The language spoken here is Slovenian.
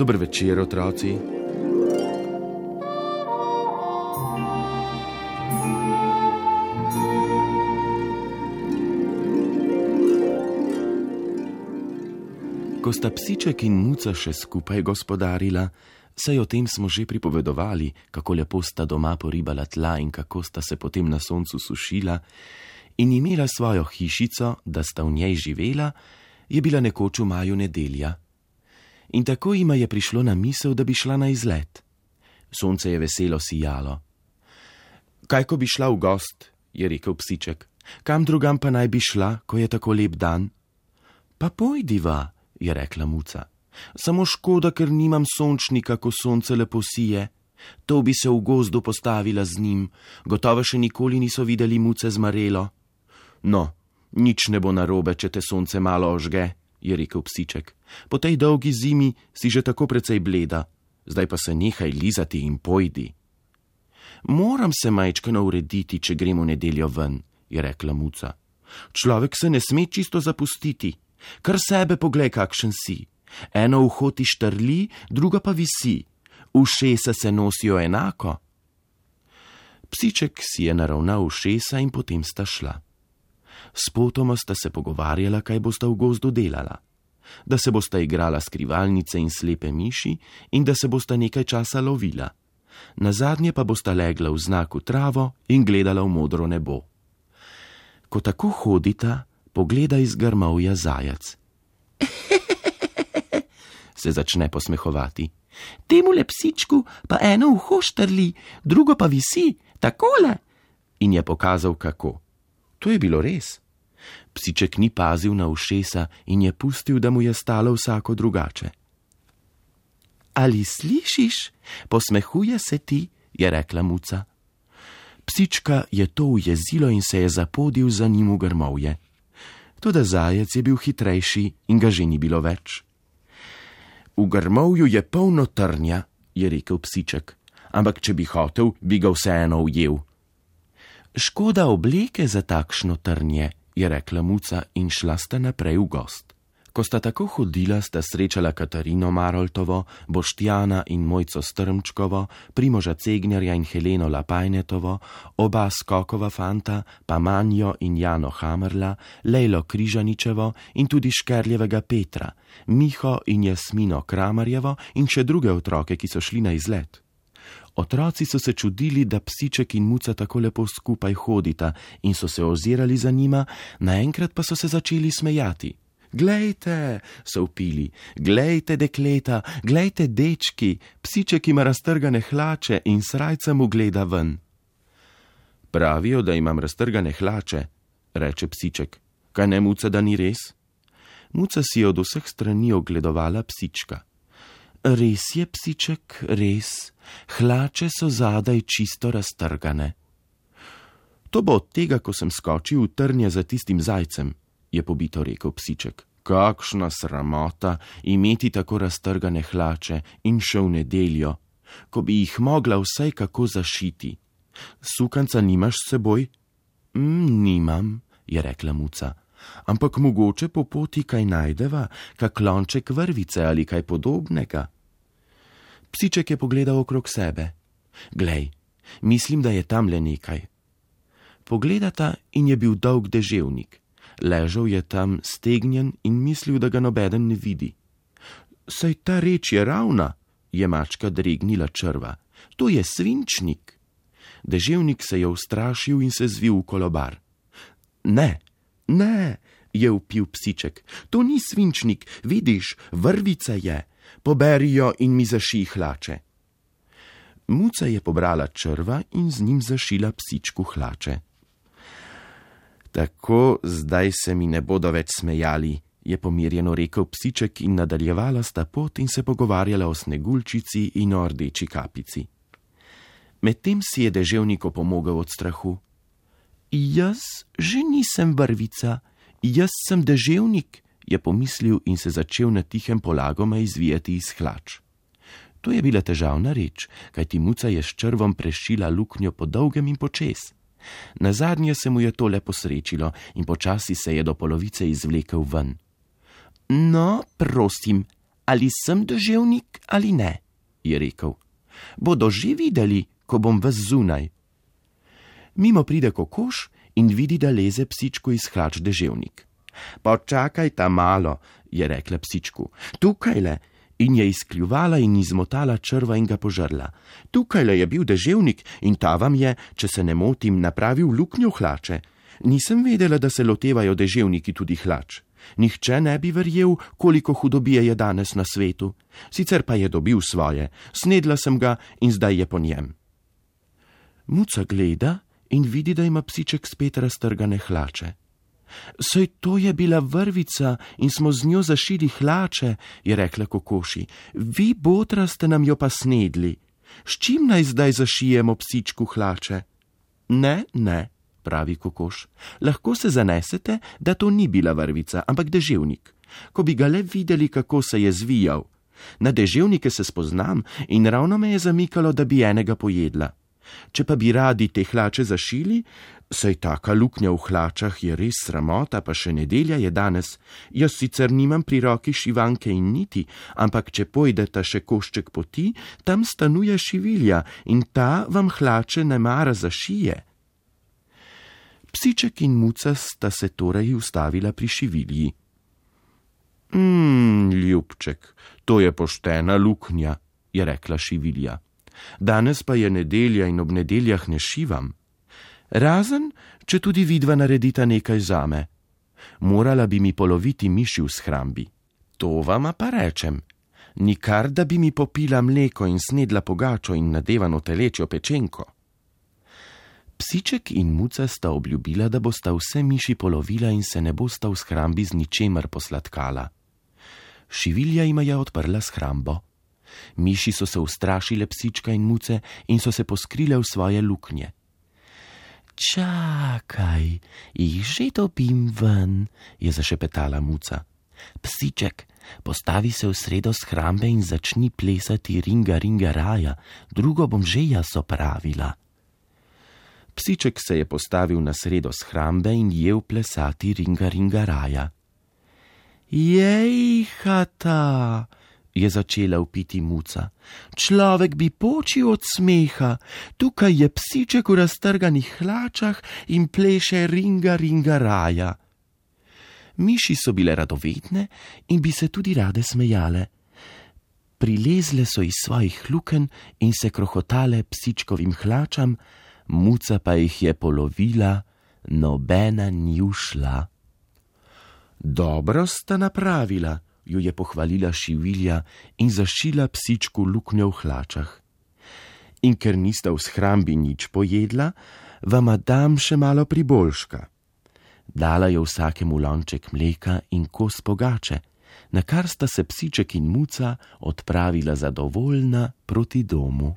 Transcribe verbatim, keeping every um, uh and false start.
Dober večer, otroci. Ko sta psiček in muca še skupaj gospodarila, saj o tem smo že pripovedovali, kako lepo sta doma poribala tla in kako sta se potem na soncu sušila in imela svojo hišico, da sta v njej živela, je bila nekoč v maju nedelja. In tako jima je prišlo na misel, da bi šla na izlet. Sonce je veselo sijalo. Kaj, ko bi šla v gost, je rekel psiček. Kam drugam pa naj bi šla, ko je tako lep dan? Pa pojdiva, je rekla muca. Samo škoda, ker nimam sončnika, ko sonce lepo sije. To bi se v gozdu postavila z njim. Gotovo še nikoli niso videli muce z marelo. No, nič ne bo narobe, če te sonce malo ožge, je rekel psiček. Po tej dolgi zimi si že tako precej bleda. Zdaj pa se nehaj lizati in pojdi. Moram se majčkeno urediti, če gremo v nedeljo ven, je rekla muca. Človek se ne sme čisto zapustiti. Kar sebe poglej, kakšen si. Eno uho ti štrli, druga pa visi. Ušesa se nosijo enako. Psiček si je naravnal ušesa in potem sta šla. Spotoma sta se pogovarjala, kaj bosta v gozdu delala. Da se bosta igrala skrivalnice in slepe miši in da se bosta nekaj časa lovila. Nazadnje pa bosta legla v znaku travo in gledala v modro nebo. Ko tako hodita, pogleda iz grmovja zajac. Se začne posmehovati. Temule psičku pa eno uho štrli, drugo pa visi, takole. In je pokazal, kako. To je bilo res. Psiček ni pazil na ušesa in je pustil, da mu je stalo vsako drugače. Ali slišiš? Posmehuje se ti, je rekla muca. Psička je to ujezilo in se je zapodil za njim v grmovje. Toda zajec je bil hitrejši in ga že ni bilo več. V grmovju je polno trnja, je rekel psiček, ampak če bi hotel, bi ga vseeno ujel. Škoda obleke za takšno trnje, je rekla muca in šla sta naprej v gost. Ko sta tako hodila, sta srečala Katarino Maroltovo, Boštjana in Mojco Strmčkovo, Primoža Cegnjarja in Heleno Lapajnetovo, oba Skokova fanta, pa Manjo in Jano Hamerla, Lejlo Križaničevo in tudi Škerljevega Petra, Miho in Jasmino Kramarjevo in še druge otroke, ki so šli na izlet. Otroci so se čudili, da psiček in muca tako lepo skupaj hodita in so se ozirali za njima, naenkrat pa so se začeli smejati. Glejte, so vpili, glejte dekleta, glejte dečki, psiček ima raztrgane hlače in srajca mu gleda ven. Pravijo, da imam raztrgane hlače, reče psiček. Kaj ne, muca, da ni res? Muca si je od vseh strani ogledovala psička. Res je, psiček, res. Hlače so zadaj čisto raztrgane. To bo od tega, ko sem skočil v trnje za tistim zajcem, je pobito rekel psiček. Kakšna sramota imeti tako raztrgane hlače in še v nedeljo, ko bi jih mogla vsaj kako zašiti. Sukanca nimaš s seboj? Mm, nimam, je rekla muca. Ampak mogoče po poti kaj najdeva, kak lonček vrvice ali kaj podobnega. Psiček je pogledal okrog sebe. Glej, mislim, da je tamle nekaj. Pogledata in je bil dolg deževnik. Ležal je tam stegnjen in mislil, da ga nobeden ne vidi. Saj ta reč je ravna, je mačka dregnila črva. To je svinčnik. Deževnik se je ustrašil in se zvil v kolobar. Ne, ne, je vpil psiček. To ni svinčnik, vidiš, vrvica je. Poberi jo in mi zašij hlače. Muca je pobrala črva in z njim zašila psičku hlače. Tako, zdaj se mi ne bodo več smejali, je pomirjeno rekel psiček in nadaljevala sta pot in se pogovarjala o Sneguljčici in o Rdeči kapici. Medtem si je deževnik opomogel od strahu. Jaz že nisem vrvica, jaz sem deževnik, je pomislil in se začel na tihem polagoma izvijati iz hlač. To je bila težavna reč, kajti muca je s črvom prešila luknjo po dolgem in počez. Nazadnje se mu je to le posrečilo in počasi se je do polovice izvlekel ven. No, prosim, Ali sem deževnik ali ne, je rekel. Bodo že videli, ko bom ves zunaj. Mimo pride kokoš in vidi, da leze psičku iz hlač deževnik. Počakaj ta malo, je rekla psičku. Tukajle. In je izkljuvala in izmotala črva in ga požrla. Tukajle je bil deževnik in ta vam je, če se ne motim, napravil luknjo v hlače. Nisem vedela, da se lotevajo deževniki tudi hlač. Nihče ne bi verjel, koliko hudobije je danes na svetu. Sicer pa je dobil svoje, snedla sem ga in zdaj je po njem. Muca gleda in vidi, da ima psiček spet raztrgane hlače. Saj to je bila vrvica in smo z njo zašili hlače, je rekla kokoši. Vi, botra, ste nam jo pa snedli. S čim naj zdaj zašijemo psičku hlače? Ne, ne, pravi kokoš. Lahko se zanesete, da to ni bila vrvica, ampak deževnik. Ko bi ga le videli, kako se je zvijal. Na deževnike se spoznam in ravno me je zamikalo, da bi enega pojedla. Če pa bi radi te hlače zašili, saj taka luknja v hlačah je res sramota, pa še nedelja je danes. Jaz sicer nimam pri roki šivanke in niti, ampak če pojdeta še košček poti, tam stanuje šivilja in ta vam hlače ne mara zašije. Psiček in muca sta se torej ustavila pri šivilji. Mmm, ljubček, to je poštena luknja, je rekla šivilja. Danes pa je nedelja in ob nedeljah ne šivam. Razen, če tudi vidva naredita nekaj zame. Morala bi mi poloviti miši v shrambi. To vama pa rečem. Nikar, da bi mi popila mleko in snedla pogačo in nadevano telečjo pečenko. Psiček in muca sta obljubila, da bosta vse miši polovila in se ne bosta v shrambi z ničemer posladkala. Šivilja jima je odprla shrambo. Miši so se ustrašile psička in muce in so se poskrile v svoje luknje. Čakaj, jih že dobim ven, je zašepetala muca. Psiček, postavi se v sredo shrambe in začni plesati ringa ringa raja, drugo bom že jaz opravila. Psiček se je postavil na sredo shrambe in jel plesati ringa ringa raja. Jejhata, je začela vpiti muca. Človek bi počil od smeha. Tukaj je psiček v raztrganih hlačah in pleše ringa ringa raja. Miši so bile radovedne in bi se tudi rade smejale. Prilezle so iz svojih luken in se krohotale psičkovim hlačam, muca pa jih je polovila, nobena ni ušla. Dobro sta napravila, jo je pohvalila šivilja in zašila psičku luknjo v hlačah. In ker nista v shrambi nič pojedla, vama dam še malo priboljška. Dala je vsakemu lonček mleka in kos pogače, na kar sta se psiček in muca odpravila zadovoljna proti domu.